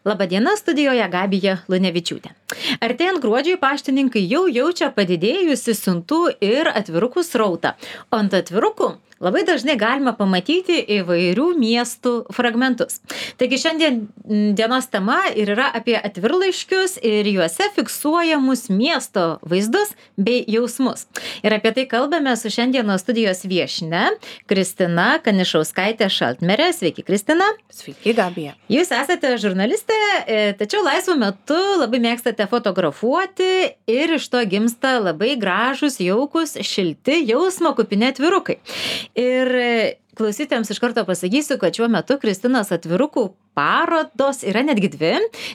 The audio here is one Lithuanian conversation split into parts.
Labadiena, studijoje Gabija Lunevičiūtė. Artėjant gruodžiui paštininkai jau jaučia padidėjusi siuntų ir atvirukų srautą. O ant atvirukų labai dažnai galima pamatyti įvairių miestų fragmentus. Taigi šiandien dienos tema ir yra apie atvirlaiškius ir juose fiksuojamus miesto vaizdus bei jausmus. Ir apie tai kalbame su šiandienos studijos viešne Kristina Kanišauskaitė-Šaltmerė. Sveiki, Kristina. Sveiki, Gabija. Jūs esate žurnalistė, tačiau laisvu metu labai mėgstate fotografuoti ir iš to gimsta labai gražus, jaukus, šilti, jausmo kupini atvirukai. Ir klausytojams iš karto pasakysiu, kad šiuo metu Kristinos atvirukų parodos yra netgi dvi.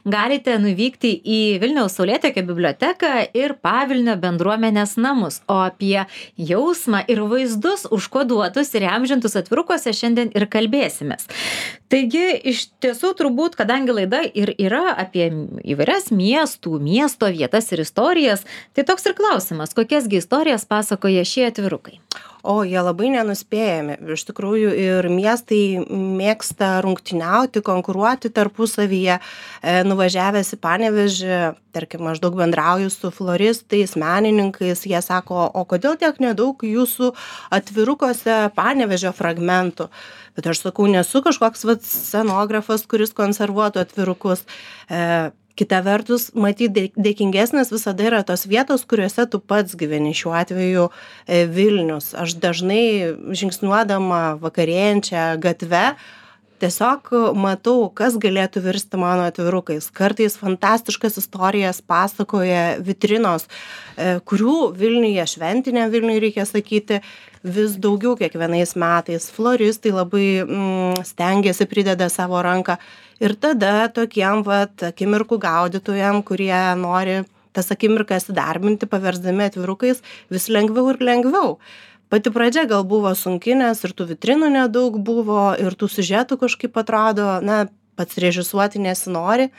Galite nuvykti į Vilniaus Saulėtekio biblioteką ir Pavilnio bendruomenės namus. O apie jausmą ir vaizdus užkoduotus ir įamžintus atvirukuose šiandien ir kalbėsimės. Taigi, iš tiesų turbūt, kadangi laida ir yra apie įvairias miesto vietas ir istorijas, tai toks ir klausimas, kokiasgi istorijas pasakoja šie atvirukai? O, jie labai nenuspėjami. Iš tikrųjų, ir miestai mėgsta rungtyniauti, konkuruoti tarpusavyje. Nuvažiavęs į Panevėžį, tarkim, aš daug bendrauju su floristais, menininkais, jie sako, o kodėl tiek nedaug jūsų atvirukose Panevėžio fragmentų? Bet aš sakau, nesu kažkoks scenografas, kuris konservuotų atvirukus. Kita vertus, matyti dėkingesnės visada yra tos vietos, kuriuose tu pats gyveni, šiuo atveju Vilnius. Aš dažnai žingsniuodama vakarėjančią gatvę tiesiog matau, kas galėtų virsti mano atvirukais. Kartais fantastiškas istorijas pasakoja vitrinos, kurių Vilniuje, šventiniam Vilniui reikia sakyti, vis daugiau kiekvienais metais. Floristai labai stengiasi, prideda savo ranką. Ir tada tokiem akimirkų gaudytojam, kurie nori tas akimirkas įdarbinti, paversdami atvirukais, vis lengviau ir lengviau. Pati pradžia gal buvo sunki, nes ir tų vitrinų nedaug buvo, ir tų siužetų kažkaip atrodo, pats režisuoti nesinori.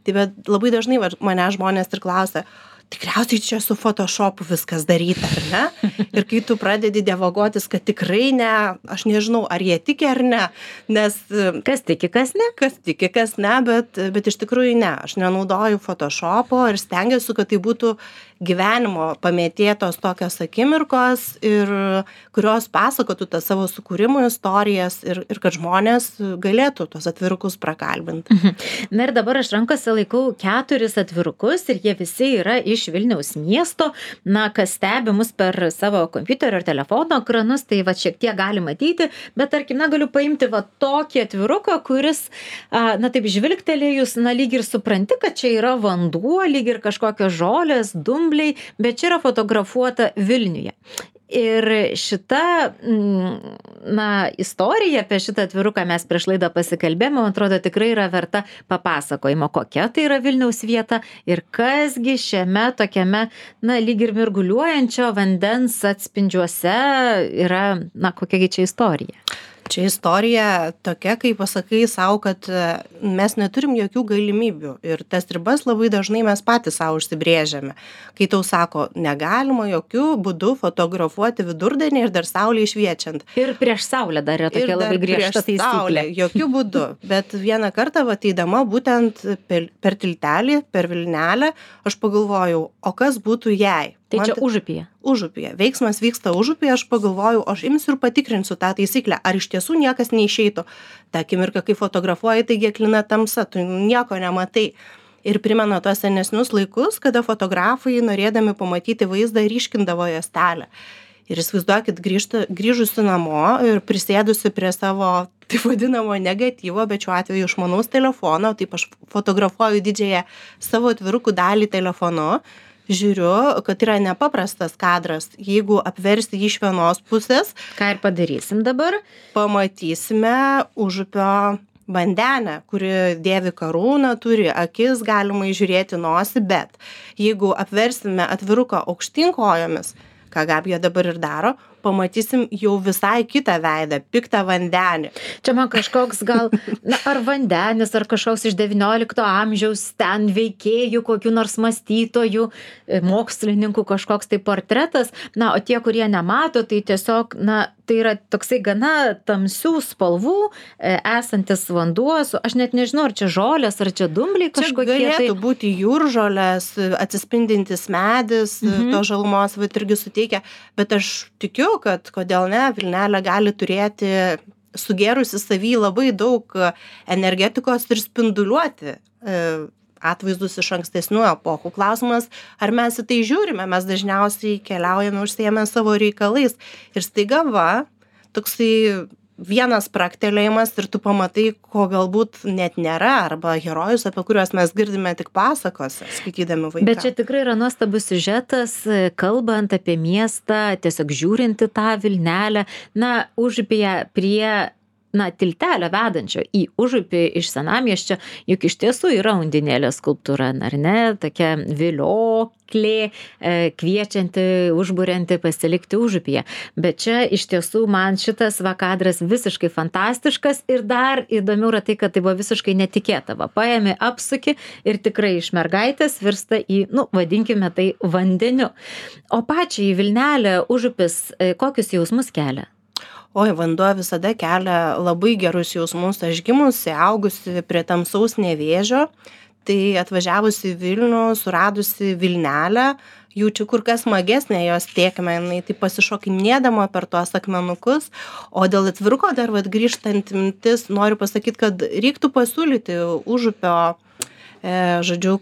Tai bet labai dažnai mane žmonės ir klausia, tikriausiai čia su Photoshopu viskas daryta, ar ne? Ir kai tu pradedi dievagotis, kad tikrai ne, aš nežinau, ar jie tiki ar ne, nes... Kas tiki, kas ne? Kas tiki, kas ne, bet iš tikrųjų ne. Aš nenaudoju Photoshopo ir stengiuosi, kad tai būtų gyvenimo pamėtėtos tokios akimirkos, ir kurios pasakotų tas savo sukūrimo istorijas ir kad žmonės galėtų tos atvirukus prakalbinti. Na ir dabar aš rankose laikau 4 atvirukus ir jie visi yra iš Vilniaus miesto. Kas stebi mus per savo kompiuterio ir telefono ekranus, tai šiek tiek gali matyti, bet tarkim, galiu paimti tokį atviruką, kuris, taip žvilgtelėjus, lyg ir supranti, kad čia yra vanduo, lyg ir kažkokios žolės, dumbliai, bet čia yra fotografuota Vilniuje. Ir šita, istorija apie šitą atviruką mes prieš laidą pasikalbėjome, man atrodo, tikrai yra verta papasakojimo, kokia tai yra Vilniaus vieta ir kasgi šiame tokiame, lyg ir mirguliuojančio vandens atspindžiuose yra, kokiagi čia istorija. Čia istorija tokia, kai pasakai savo, kad mes neturim jokių galimybių ir tas ribas labai dažnai mes patys savo užsibrėžiame. Kai tau sako, negalima jokių būdų fotografuoti vidurdienį ir dar saulė šviečiant. Ir prieš saulę dar yra tokia labai griežta taisyklė. Jokių būdų. Bet vieną kartą, ateidama būtent per tiltelį, per Vilnelę, aš pagalvojau, o kas būtų jei? Tai čia Užupyje. Užupyje. Veiksmas vyksta Užupyje, aš pagalvojau, aš imsiu ir patikrinsiu tą taisyklę, ar iš tiesų niekas neišeitų. Ta akimirka, kai fotografuoji, taigi aklina tamsa, tu nieko nematai. Ir primena tos senesnius laikus, kada fotografai, norėdami pamatyti vaizdą, ryškindavo juostelę. Ir įsivaizduokit, grįžusi namo ir prisėdusi prie savo, taip vadinamo, negatyvo, bet šiuo atveju išmanaus telefono, taip aš fotografuoju didžiąją savo atvirukų dalį telefonu, žiūriu, kad yra nepaprastas kadras. Jeigu apversti jį iš vienos pusės, ką ir padarysim dabar, pamatysime Užupio vandenę, kuri dėvi karūną, turi akis, galima įžiūrėti nosį, bet jeigu apversime atviruką aukštyn kojomis, ką Gabija dabar ir daro, pamatysim jau visai kitą veidą, piktą vandenį. Čia man kažkoks gal, ar vandenis, ar kažkoks iš XIX amžiaus ten veikėjų, kokių nors mąstytojų, mokslininkų kažkoks tai portretas. O tie, kurie nemato, tai tiesiog, tai yra toksai gana tamsių spalvų esantis vanduo, aš net nežinau, ar čia žolės, ar čia dumbliai kažkokie. Čia galėtų būti jūržolės, atsispindintis medis, to žalumos irgi suteikia, bet aš tikiu, kad kodėl ne, vilnelė gali turėti sugėrusi savy labai daug energetikos ir spinduliuoti atvaizdus iš ankstesnių epochų. Klausimas, ar mes į tai žiūrime, mes dažniausiai keliaujame užsiėmę savo reikalais ir staiga toksai vienas praktelėjimas ir tu pamatai, ko galbūt net nėra, arba herojus, apie kuriuos mes girdime tik pasakose, skaitydami vaiką. Bet čia tikrai yra nuostabus siužetas, kalbant apie miestą, tiesiog žiūrinti tą Vilnelę, užupyje prie tiltelio vedančio į užupį iš senamiesčio, juk iš tiesų yra Undinėlės skulptūra, ar ne, tokia vilioklė, kviečianti, užburianti pasilikti užupyje. Bet čia iš tiesų man šitas kadras visiškai fantastiškas ir dar įdomiau yra tai, kad tai buvo visiškai netikėta. Paėmė, apsuki ir tikrai iš mergaitės virsta į, vadinkime tai, vandeniu. O pačiai Vilnelė, užupis, kokius jausmus kelia? Oi, vanduo visada kelia labai gerus jausmus. Aš gimusi, augusi prie tamsaus Nevėžio, tai atvažiavusi į Vilnių, suradusi Vilnelę, jaučiu kur kas smagesnė jos tėkmė, jinai taip pasišokinėdama per tuos akmenukus, o dėl atviruko dar grįžtant mintis, noriu pasakyti, kad reiktų pasiūlyti užupio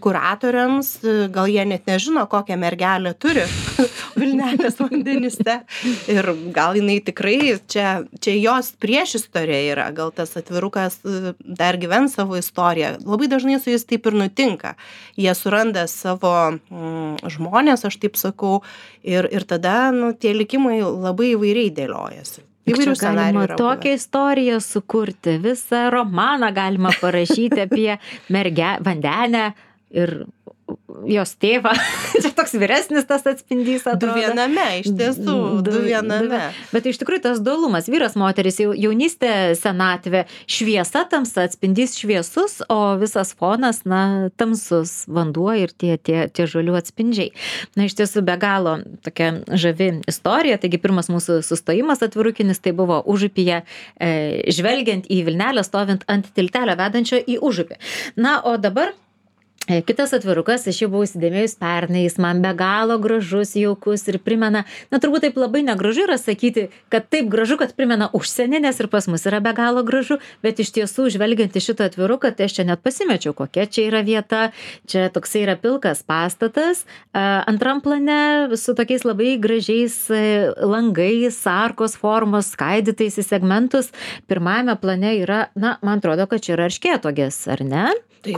kuratoriams, gal jie net nežino, kokią mergelę turi Vilnelės vandenyse ir gal jinai tikrai, čia jos priešistorė yra, gal tas atvirukas dar gyvens savo istoriją. Labai dažnai su jais taip ir nutinka. Jie suranda savo žmonės, aš taip sakau, ir tada tie likimai labai įvairiai dėliojasi. Įvairių galima tokią istoriją sukurti, visą romaną galima parašyti apie vandenę ir jos tėvą. Čia toks vyresnis tas atspindys atrodo. Du viename, iš tiesų, du viename. Bet iš tikrųjų tas dualumas, vyras, moteris, jaunystė, senatvė, šviesa, tamsa, atspindys šviesus, o visas fonas, tamsus vanduo ir tie žolių atspindžiai. Iš tiesų be galo tokia žavi istorija. Taigi pirmas mūsų sustojimas atvirukinis tai buvo užupyje, žvelgiant į Vilnelę, stovint ant tiltelio vedančio į užupį. O dabar kitas atvirukas, aš jau buvau įsidėmėjus pernai, jis man be galo gražus, jaukus ir primena, turbūt taip labai negražu yra sakyti, kad taip gražu, kad primena užsienį, nes ir pas mus yra be galo gražu, bet iš tiesų, žvelgiant į šitą atviruką, tai aš čia net pasimečiau, kokia čia yra vieta, čia toksai yra pilkas pastatas, antram plane su tokiais labai gražiais langais, arkos formos, skaidytais į segmentus, pirmajame plane yra, man atrodo, kad čia yra erškėtuogės, ar ne? Taip,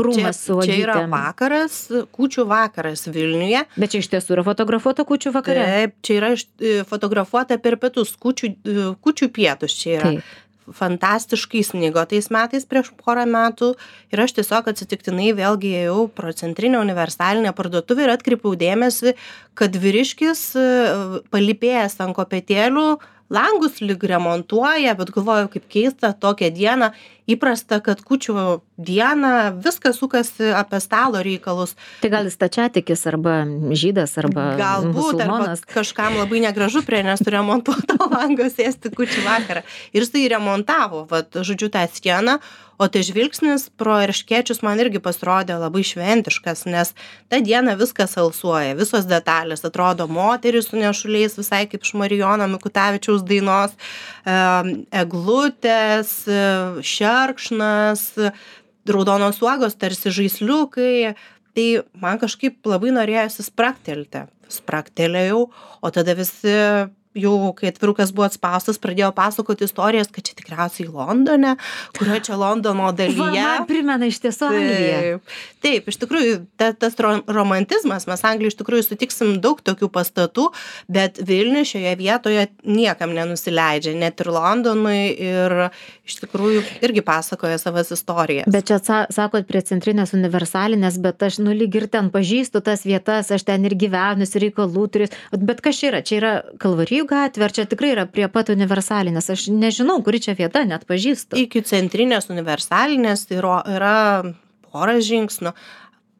čia yra vakaras, kūčių vakaras Vilniuje. Bet čia iš tiesų yra fotografuota kūčių vakare? Taip, čia yra fotografuota per pietus, kūčių pietus čia yra. Taip. Fantastiškai snigo tais metais prieš porą metų ir aš tiesiog atsitiktinai vėlgi ėjau pro centrinę universalinę parduotuvę ir atkreipiau dėmesį, kad vyriškis palypėjęs ant kopėtėlių langus lyg remontuoja, bet galvoju, kaip keista tokią dieną, įprasta, kad kūčių dieną viskas sukasi apie stalo reikalus. Tai gal jis stačiatikis arba žydas arba musulmonas. Galbūt, arba kažkam labai negražu prie nesuremontuoto lango sėsti kūčių vakarą. Ir jis tai remontavo, žodžiu, tą sieną, o tai žvilgsnis pro erškėčius man irgi pasirodė labai šventiškas, nes tą dieną viskas alsuoja, visos detalės, atrodo moteris su nešuliais, visai kaip iš Marijono Mikutavičiaus dainos, eglutės, šerkšnas, raudonos uogos, tarsi žaisliukai, tai man kažkaip labai norėjosi spraktelti. Spraktelėjau, o tada visi jau, kai atvirukas buvo atspaustas, pradėjo pasakoti istorijas, kad čia tikriausiai Londone, kurio čia Londono dalyje. Man primena iš tiesų Angliją. Taip, iš tikrųjų, tas romantizmas, mes Anglijoje iš tikrųjų sutiksim daug tokių pastatų, bet Vilnius šioje vietoje niekam nenusileidžia, net ir Londonui, ir iš tikrųjų irgi pasakoja savas istorijas. Bet čia sakot prie centrinės universalinės, bet aš lyg ir ten pažįstu tas vietas, aš ten ir gyvenus, reikalų turiu. Bet kas čia yra? Čia yra Kalvarijų Veisiejų gatvė, ar čia tikrai yra prie pat Universalinės? Aš nežinau, kuri čia vieta, net pažįstu. Iki centrinės Universalinės tai yra pora žingsnių.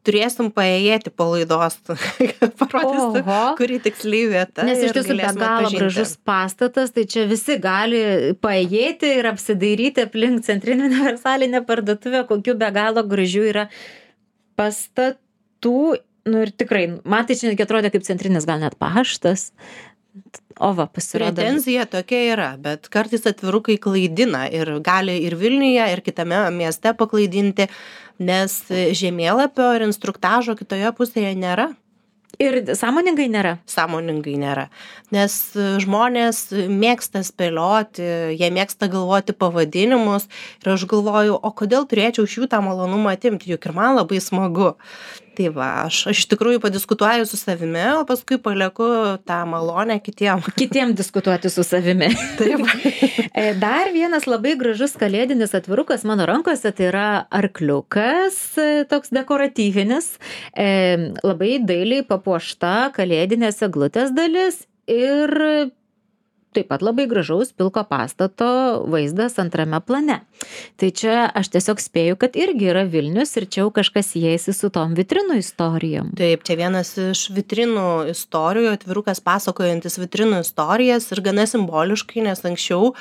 Turėsim paėjėti po laidos, parodysiu, kuri tiksliai vieta. Nes iš tiesų be galo gražus pastatas, tai čia visi gali paėjėti ir apsidairyti aplink centrinę Universalinę parduotuvę, kokių be galo gražių yra pastatų. Nu ir tikrai, man tai čia netgi atrodė kaip centrinis, gal net paštas. O va, pasirodo. Pretenzija tokia yra, bet kartais atvirukai klaidina ir gali ir Vilniuje, ir kitame mieste paklaidinti, nes žemėlapio ir instruktažo kitoje pusėje nėra. Ir sąmoningai nėra? Sąmoningai nėra, nes žmonės mėgsta spėlioti, jie mėgsta galvoti pavadinimus ir aš galvoju, o kodėl turėčiau iš jų tą malonumą atimti, juk ir man labai smagu. Tai va, aš iš tikrųjų padiskutuoju su savimi, o paskui palieku tą malonę kitiem. Kitiem diskutuoti su savimi. Taip. Dar vienas labai gražus kalėdinis atvirukas mano rankose, tai yra arkliukas, toks dekoratyvinis, labai dailiai papuošta kalėdinės eglutės dalis ir taip pat labai gražaus pilko pastato vaizdas antrame plane. Tai čia aš tiesiog spėju, kad irgi yra Vilnius ir čia jau kažkas siejasi su tom vitrinų istorijom. Taip, čia vienas iš vitrinų istorijų, atvirukas pasakojantis vitrinų istorijas ir gana simboliškai, nes anksčiau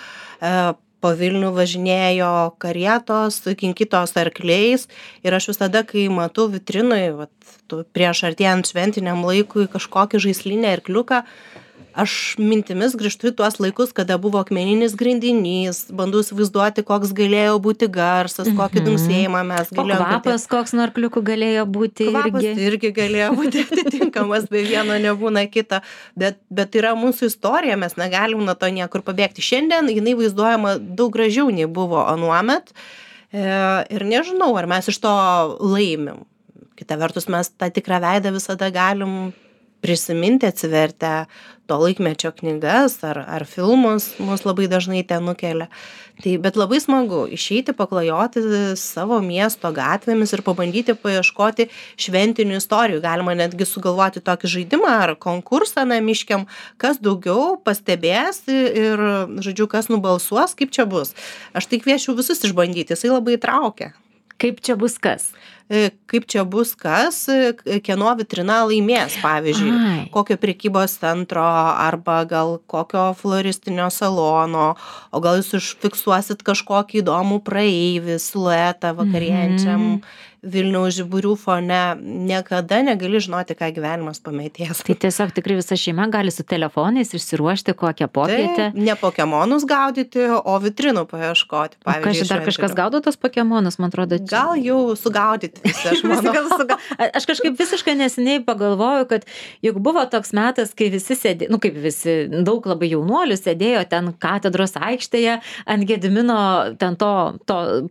po Vilnių važinėjo karietos, kinkytos arkliais ir aš visada, kai matau vitrinui, prieš artėjant šventiniam laikui kažkokį žaislinį arkliuką, aš mintimis grįžtu į tuos laikus, kada buvo akmeninis grindinys, bandau įsivaizduoti, koks galėjo būti garsas, kokį dunksėjimą mes galėjome. O kvapas koks nuo arkliukų galėjo būti irgi? Kvapas irgi galėjo būti atitinkamas, be vieno nebūna kita, bet yra mūsų istorija, mes negalim nuo to niekur pabėgti. Šiandien jinai vaizduojama daug gražiau nei buvo anuomet ir nežinau, ar mes iš to laimim. Kita vertus, mes tą tikrą veidą visada galim prisiminti, atsivertę to laikmečio knygas ar filmus, mus labai dažnai ten nukelia. Bet labai smagu išeiti, paklajoti savo miesto gatvėmis ir pabandyti paieškoti šventinių istorijų. Galima netgi sugalvoti tokį žaidimą ar konkursą namiškiam, kas daugiau pastebės ir, žodžiu, kas nubalsuos, kaip čia bus. Aš tai kviečiu visus išbandyti, jisai labai traukia. Kaip čia bus kas? Kaip čia bus kas, kieno vitrina laimės, pavyzdžiui, kokio prekybos centro arba gal kokio floristinio salono, o gal jūs užfiksuosit kažkokį įdomų praeivį, siluetą vakarienčiam Vilniaus žiburių fone. Niekada negali žinoti, ką gyvenimas pametės. Tai tiesiog tikrai visa šeima gali su telefonais išsiruošti kokią popietę. Tai ne pokemonus gaudyti, o vitrinų paieškoti. Pavyzdžiui, dar kažkas gaudo tos pokemonus, man atrodo. Gal jau sugaudyti visi, aš manau. Aš kažkaip visiškai neseniai pagalvoju, kad juk buvo toks metas, kai visi sėdėjo, kaip visi, daug labai jaunuolių sėdėjo ten katedros aikštėje ant Gedimino ten to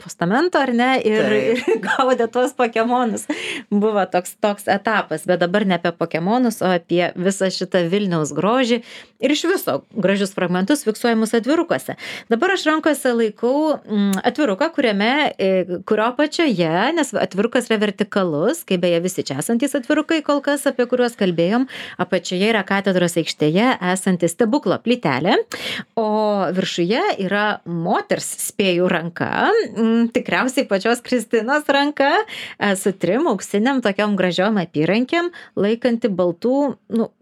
postamento, ar ne, ir gaudė tuos pokemonus. Buvo toks etapas, bet dabar ne apie pokemonus, o apie visą šitą Vilniaus grožį ir iš viso gražius fragmentus fiksuojamus atvirukuose. Dabar aš rankose laikau atviruką, kurio apačioje, nes atvirukas yra vertikalus, kaip beje visi čia esantys atvirukai kol kas, apie kuriuos kalbėjom, apačioje yra katedros aikštėje esanti stebuklo plytelė, o viršuje yra moters, spėjų, ranka, tikriausiai pačios Kristinos ranka, su 3 auksiniam tokiom gražiom apyrankėm, laikanti baltų,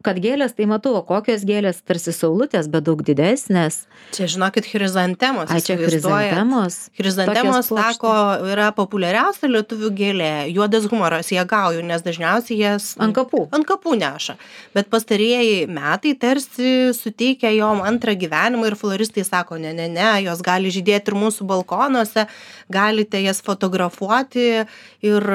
kad gėlės, tai matau, o kokios gėlės, tarsi saulutės, bet daug didesnės. Čia, žinokit, chrizantemos. Čia chrizantemos. Chrizantemos, sako, yra populiariausia lietuvių gėlė. Juodas humoras, jie gauju, nes dažniausiai jas ant kapų neša. Bet pastarieji metai tarsi suteikia jom antrą gyvenimą ir floristai sako, ne, jos gali žydėti ir mūsų balkonuose, galite jas fotografuoti ir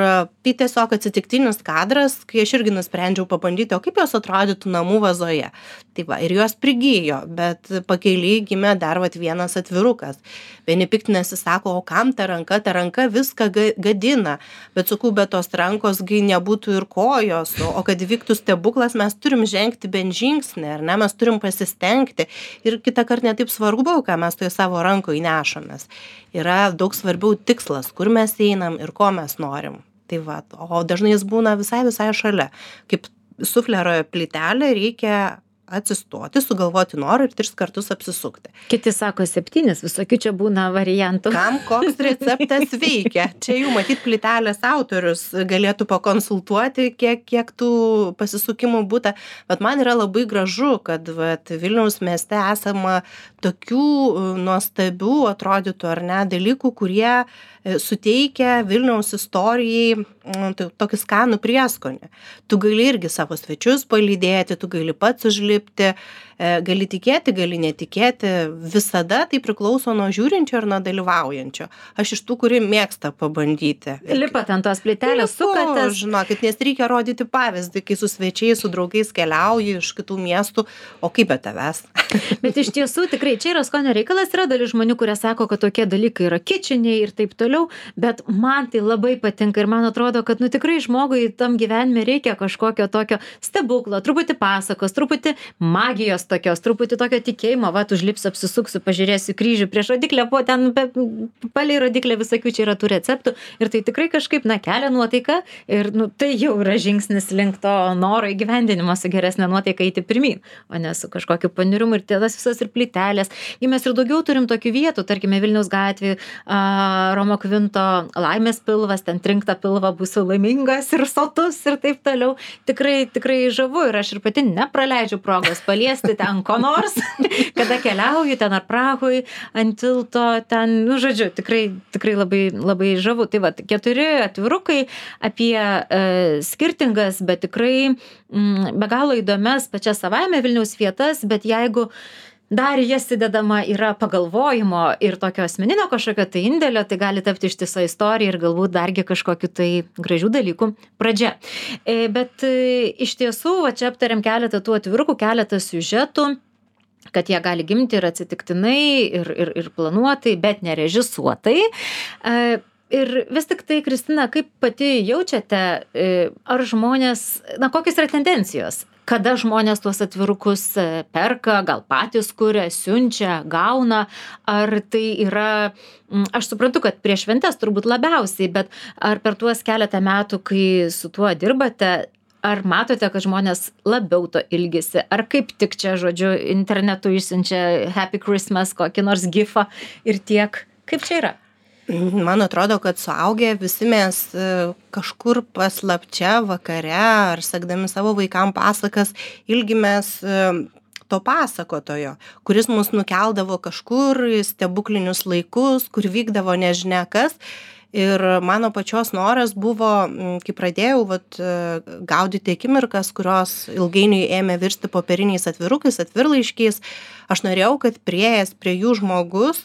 tai tiesiog atsitiktinis kadras, kai aš irgi nusprendžiau pabandyti, o kaip jos atrodytų namų vazoje. Tai va, ir jos prigijo, bet pakeiliai gimė dar vienas atvirukas. Vieni piktinasi, sako, o kam ta ranka viską gadina, bet sakau, bet tos rankos nebūtų ir kojos, o kad vyktų stebuklas, mes turim žengti bent žingsnį, ar ne, mes turim pasistengti ir kitą kartą netaip svarbu, ką mes toje savo rankoje nešamės. Yra daug svarbiau tikslas, kur mes einam ir ko mes norim. Tai va, o dažnai jis būna visai šalia. Kaip sufleroje plytelė, reikia atsistoti, sugalvoti norą ir 3 kartus apsisukti. Kiti sako 7, visokių čia būna variantų. Kam koks receptas veikia? Čia jau matyt plytelės autorius galėtų pakonsultuoti, kiek tų pasisukimų būta. Bet man yra labai gražu, kad Vilniaus mieste esama tokių nuostabių, atrodytų ar ne, dalykų, kurie suteikia Vilniaus istorijai tokį skanų prieskonį. Tu gali irgi savo svečius palydėti, tu gali pats užlipti, gali tikėti, gali netikėti. Visada tai priklauso nuo žiūrinčio ir nuo dalyvaujančio. Aš iš tų, kuri mėgsta pabandyti. Lipat ant tos plytelės, sukatės. Žinokit, nes reikia rodyti pavyzdį, kai su svečiais, su draugais keliauji iš kitų miestų, o kaip be tavęs. Bet iš tiesų tikrai čia yra skonio reikalas, yra dalis žmonių, kurie sako, kad tokie dalykai yra kičiniai ir taip toliau, bet man tai labai patinka ir man atrodo, kad tikrai žmogui tam gyvenime reikia kažkokio tokio stebuklo, truputį pasakos, truputį magijos tokios, truputį tokio tikėjimo, užlipsiu, apsisuksiu, pažiūrėsiu kryžių prieš rodiklę, po ten palei rodiklę visokių čia yra tų receptų ir tai tikrai kažkaip, kelia nuotaiką ir tai jau yra žingsnis link to noro įgyvendinimo su geresnė nuotaika eiti pirmyn, o ne su kažkokiu paniurimu ir tas visas ir plytelės. Ir mes ir daugiau turim tokių vietų, tarkime Vilniaus gatvėje, Romo Kvinto laimės pilvas, ten trinkta pilva būsiu laimingas ir sotus ir taip toliau. Tikrai žavu ir aš ir pati nepraleidžiu progos paliesti ten ko nors, kada keliauju ten ar Prahoj, ant tilto, ten, žodžiu, tikrai labai žavu. Tai 4 atvirukai apie skirtingas, bet tikrai be galo įdomias pačias savaime Vilniaus vietas, bet jeigu dar jas įdedama yra pagalvojimo ir tokio asmeninio kažkokio tai indėlio, tai gali tapti ištisa istorija ir galbūt dargi kažkokiu tai gražių dalykų pradžia. Bet iš tiesų, čia aptariam keletą tų atvirukų, keletą siužetų, kad jie gali gimti ir atsitiktinai, ir planuotai, bet nerežisuotai. Ir vis tik tai, Kristina, kaip pati jaučiate, ar žmonės, kokios yra tendencijos? Kada žmonės tuos atvirukus perka, gal patys kuria, siunčia, gauna, ar tai yra, aš suprantu, kad prieš šventes turbūt labiausiai, bet ar per tuos keletą metų, kai su tuo dirbate, ar matote, kad žmonės labiau to ilgisi, ar kaip tik čia, žodžiu, internetu išsiunčia Happy Christmas, kokį nors gifą ir tiek, kaip čia yra? Man atrodo, kad suaugę visi mes kažkur paslapčia vakare ar sekdami savo vaikam pasakas ilgimės to pasakotojo, kuris mus nukeldavo kažkur į stebuklinius laikus, kur vykdavo nežinia kas. Ir mano pačios noras buvo, kai pradėjau gaudyti akimirkas, kurios ilgainiui ėmė virsti popieriniais atvirukais, atvirlaiškiais, aš norėjau, kad priėjęs prie jų žmogus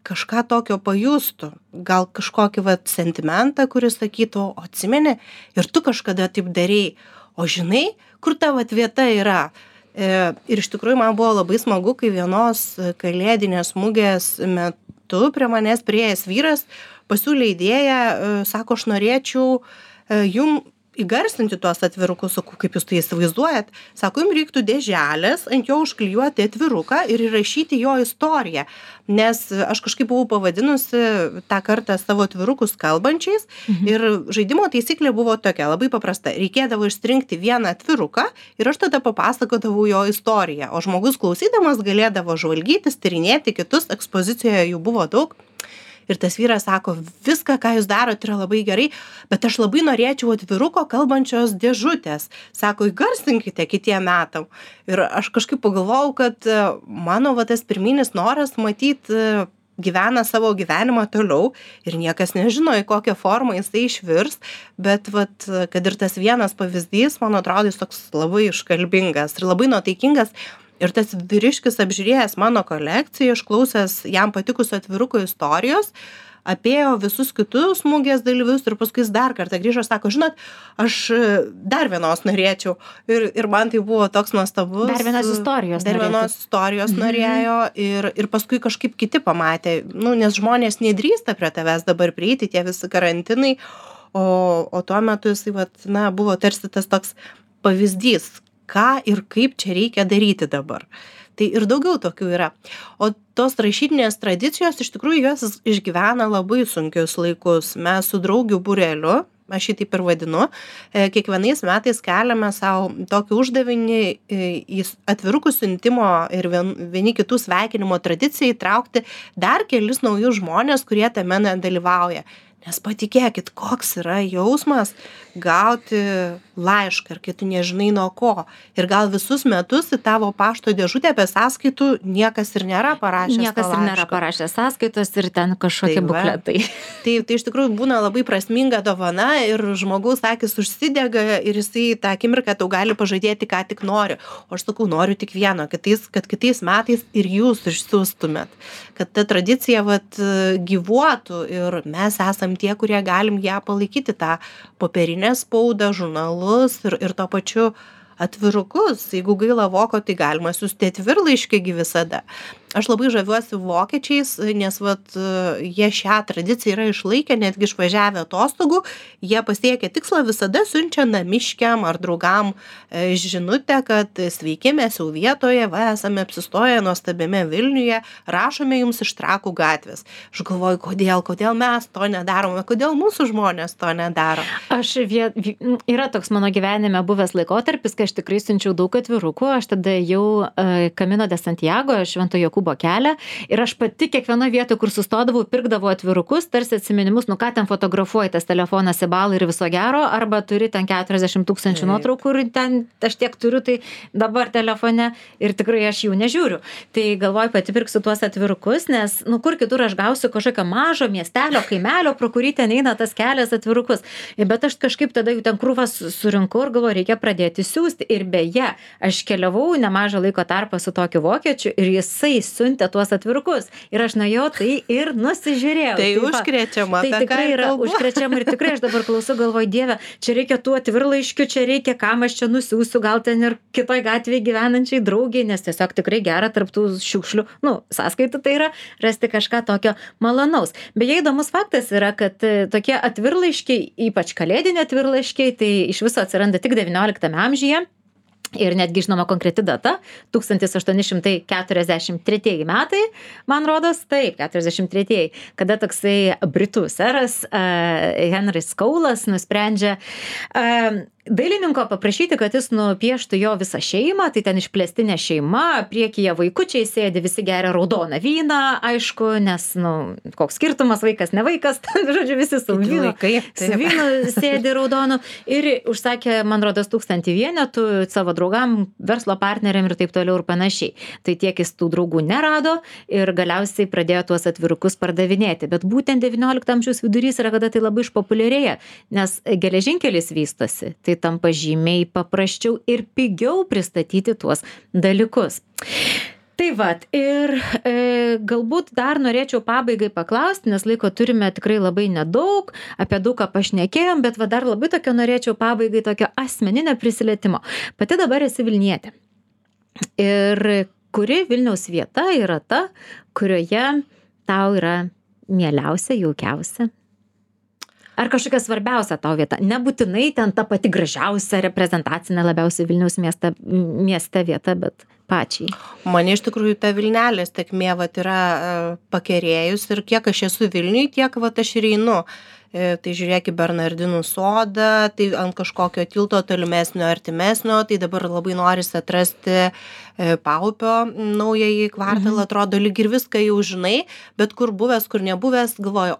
kažką tokio pajustų, gal kažkokį sentimentą, kuris sakytų, o atsimeni, ir tu kažkada taip darei, o žinai, kur tavo vieta yra. Ir iš tikrųjų man buvo labai smagu, kai vienos kalėdinės mugės metu prie manęs priėjęs vyras pasiūlė idėją, sako, aš norėčiau jum įgarsinti tuos atvirukus, kaip jūs tai įsivaizduojat, sako, jums reiktų dėželės, ant jo užklijuoti atviruką ir įrašyti jo istoriją, nes aš kažkaip buvau pavadinusi tą kartą savo atvirukus kalbančiais ir žaidimo taisyklė buvo tokia, labai paprasta, reikėdavo išsirinkti vieną atviruką ir aš tada papasakodavau jo istoriją, o žmogus klausydamas galėdavo žvalgytis, tyrinėti kitus, ekspozicijoje jų buvo daug. Ir tas vyras sako, viską, ką jūs darote, yra labai gerai, bet aš labai norėčiau atviruko kalbančios dėžutės. Sako, įgarsinkite kitiem metam. Ir aš kažkaip pagalvojau, kad mano tas pirminis noras matyti gyvena savo gyvenimą toliau ir niekas nežino, į kokią formą jisai išvirs, bet kad ir tas vienas pavyzdys, man atrodo, jis toks labai iškalbingas ir labai nuotaikingas. Ir tas vyriškis apžiūrėjęs mano kolekciją, išklausęs jam patikusių atvirukų istorijos, apėjo visus kitus mugės dalyvius ir paskui jis dar kartą grįžo, sako, žinot, aš dar vienos norėčiau. Ir man tai buvo toks nuostabus. Dar vienos istorijos norėjo ir paskui kažkaip kiti pamatė, nes žmonės nedrįsta prie tavęs dabar prieiti, tie visi karantinai, o tuo metu jisai buvo tarsi tas toks pavyzdys, ką ir kaip čia reikia daryti dabar. Tai ir daugiau tokių yra. O tos rašytinės tradicijos, iš tikrųjų, jos išgyvena labai sunkius laikus. Mes su draugių būreliu aš jį taip ir vadinu, kiekvienais metais keliame savo tokį uždavinį į atvirukų siuntimo ir vieni kitų sveikinimo tradiciją įtraukti dar kelis naujus žmonės, kurie tame nedalyvauja. Nes patikėkit, koks yra jausmas gauti laišką, ir kai tu nežinai nuo ko. Ir gal visus metus į tavo pašto dėžutę be sąskaitų niekas ir nėra parašęs. Niekas ir nėra parašęs sąskaitos ir ten kažkokie bukletai. Tai iš tikrųjų būna labai prasminga dovana ir žmogaus akis užsidega ir jisai tą akimirką tau gali pažadėti, ką tik nori. O aš sakau, noriu tik vieno, kad kitais metais ir jūs išsiųstumėt. Kad ta tradicija gyvuotų ir mes esam tie, kurie galim ją palaikyti, tą popierinę spaudą, žurnalus ir to pačiu atvirukus. Jeigu gaila voko, tai galima siųsti atvirlaiškį visada. Aš labai žaviuosi vokiečiais, nes jie šią tradiciją yra išlaikę, netgi išvažiavę atostogų, jie pasiekia tikslą, visada siunčia namiškiam ar draugam žinutę, kad sveiki, mes jau vietoje, esame apsistoję nuostabiame Vilniuje, rašome jums iš Trakų gatvės. Aš galvoju, kodėl mes to nedarome, kodėl mūsų žmonės to nedaro. Yra toks mano gyvenime buvęs laikotarpis, kai aš tikrai siunčiau daug atvirukų, aš tada jau Camino de Santiago, Švento Jokūbo kelią ir aš pati kiekvienoje vietoje, kur sustodavau, pirkdavau atvirukus, tarsi atsiminimus, ką ten fotografuoji, tas telefonas į balą ir viso gero, arba turi ten 40 000 nuotraukų ir ten aš tiek turiu, tai dabar telefone ir tikrai aš jų nežiūriu. Tai galvoju, pati pirksiu tuos atvirukus, nes kur kitur aš gausiu kažkokio mažo miestelio, kaimelio, pro kurį ten eina tas kelias atvirukus. Bet aš kažkaip tada jau ten krūvas surinkau ir galvoju, reikia pradėti siųsti. Ir beje, aš keliavau nemažą laiko tarpą su tokiu vokiečiu ir jisai siuntė tuos atvirukus. Ir aš nuėjau tai ir nusižiūrėjau. Tai užkrečiama. Tai tikrai yra užkrečiama ir tikrai aš dabar klausau, galvoju, Dieve, čia reikia tų atvirlaiškių, čia reikia, kam aš čia nusiųsiu, gal ten ir kitoj gatvėje gyvenančiai draugiai, nes tiesiog tikrai gera tarptų šiukšlių, sąskaitų tai yra rasti kažką tokio malonaus. Beje, įdomus faktas yra, kad tokie atvirlaiškiai, ypač kalėdiniai atvirlaiškiai, tai iš viso atsiranda tik 19 amžiuje. Ir netgi žinoma konkreti data, 1843 metai, man rodos, taip, 43, kada toksai britų seras Henris Kaulas nusprendžia dailininko paprašyti, kad jis nupieštų jo visą šeimą, tai ten išplėstinė šeima, priekyje vaikučiai sėdi, visi geria raudoną vyną, aišku, nes, koks skirtumas, vaikas, ne vaikas, žodžiu, visi su vynu sėdi raudonu ir užsakė, man rodos, 1000 vienetų savo draugam, verslo partneriam ir taip toliau ir panašiai. Tai tiek jis tų draugų nerado ir galiausiai pradėjo tuos atvirukus pardavinėti. Bet būtent 19 amžiaus vidurys yra, kada tai labai išpopuliarėja, nes geležinkelis vystosi, tai tampa žymiai paprasčiau ir pigiau pristatyti tuos dalykus. Tai ir galbūt dar norėčiau pabaigai paklausti, nes laiko turime tikrai labai nedaug, apie daug ką pašnekėjom, bet dar labai tokio norėčiau pabaigai tokio asmeninio prisilietimo. Pati dabar esi Vilnietė. Ir kuri Vilniaus vieta yra ta, kurioje tau yra mieliausia, jaukiausia? Ar kažkokia svarbiausia tau vieta? Nebūtinai ten ta pati gražiausia, reprezentacinė labiausiai Vilniaus mieste vieta, bet pačiai. Mane iš tikrųjų ta Vilnelės tėkmė yra pakerėjus ir kiek aš esu Vilniui, tiek aš ir einu. Tai žiūrėk į Bernardinų sodą, tai ant kažkokio tilto tolimesnio, artimesnio, tai dabar labai norisi atrasti Paupio naująjį kvartalą, atrodo lyg ir viską jau žinai, bet kur buvęs, kur nebuvęs, galvoju,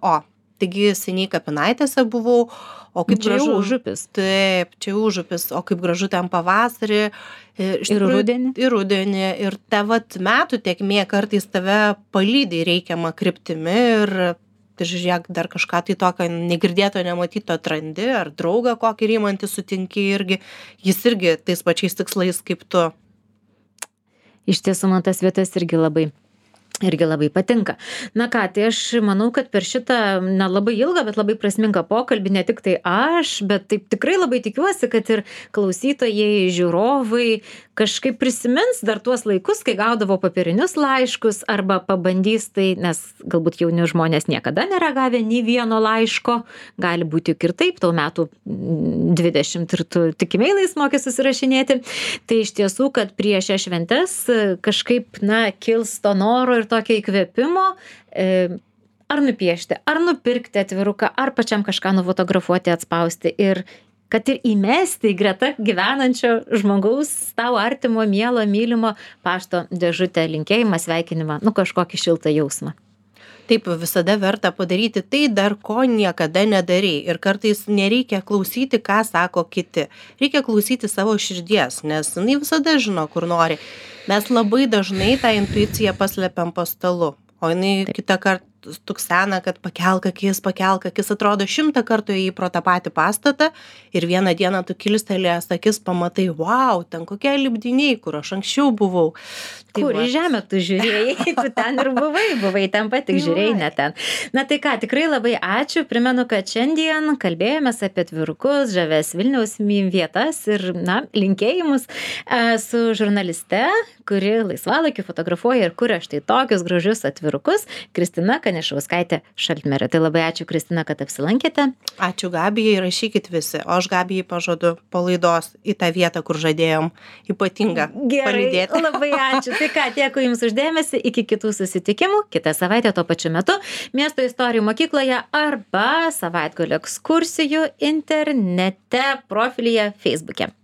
taigi seniai Kapinaitėse buvau, o kaip gražu. Čia užupis. Taip, čia užupis, o kaip gražu ten pavasarį. Ir rudenį. Ir rudenį. Ir ta metų tėkmė kartais tave palydi reikiamą kryptimi ir žiūrėk, dar kažką tai tokio negirdėto, nematyto atrandi, ar draugą kokį rymantį sutinki irgi, jis irgi tais pačiais tikslais kaip tu. Iš tiesų, man tas vietas irgi labai patinka. Na ką, tai aš manau, kad per šitą nelabai ilgą, bet labai prasmingą pokalbį ne tik tai aš, bet taip tikrai labai tikiuosi, kad ir klausytojai, žiūrovai kažkaip prisimins dar tuos laikus, kai gaudavo popierinius laiškus arba pabandys tai, nes galbūt jauni žmonės niekada nėra gavę nei vieno laiško, gali būti juk ir taip, tau metų 20 ir tu tik emailais moki susirašinėti. Tai iš tiesų, kad prieš šias šventes kažkaip, kils to noro ir tokio įkvėpimo ar nupiešti, ar nupirkti atviruką, ar pačiam kažką nufotografuoti, atspausti ir kad ir įmesti į greta gyvenančio žmogaus, tau artimo, mielo, mylimo pašto dėžutę, linkėjimą, sveikinimą, kažkokį šiltą jausmą. Taip, visada verta padaryti tai, dar ko niekada nedarei. Ir kartais nereikia klausyti, ką sako kiti. Reikia klausyti savo širdies, nes jinai visada žino, kur nori. Mes labai dažnai tą intuiciją paslepiam po stalu, o jinai kitą kartą tuksena, kad pakelk akis, atrodo 100 kartų ėjai pro tą patį pastatą ir vieną dieną tu kilstelėjęs akis pamatai, wow, ten kokie lipdiniai, kur aš anksčiau buvau. Kur į žemę tu žiūrėjai, tu ten ir buvai ten pat, tik žiūrėjai, ne ten. Na tai ką, tikrai labai ačiū, primenu, kad šiandien kalbėjomės apie atvirukus, žavias Vilniaus vietas ir, linkėjimus su žurnaliste, kuri laisvalaikiu fotografuoja ir kuria štai tokius gražius atvirukus, Kristina Kanišauskaitė Šaltmerė. Tai labai ačiū, Kristina, kad apsilankėte. Ačiū Gabijai, rašykit visi, o aš Gabijai pažadu po laidos į tą vietą, kur žadėjom ypatingą palydėti. Gerai, labai ačiū. Tai ką, dėkui Jums uždėmesį, iki kitų susitikimų, kitą savaitę tuo pačiu metu Miesto istorijų mokykloje arba savaitgalio ekskursijų internete profilyje Facebook'e.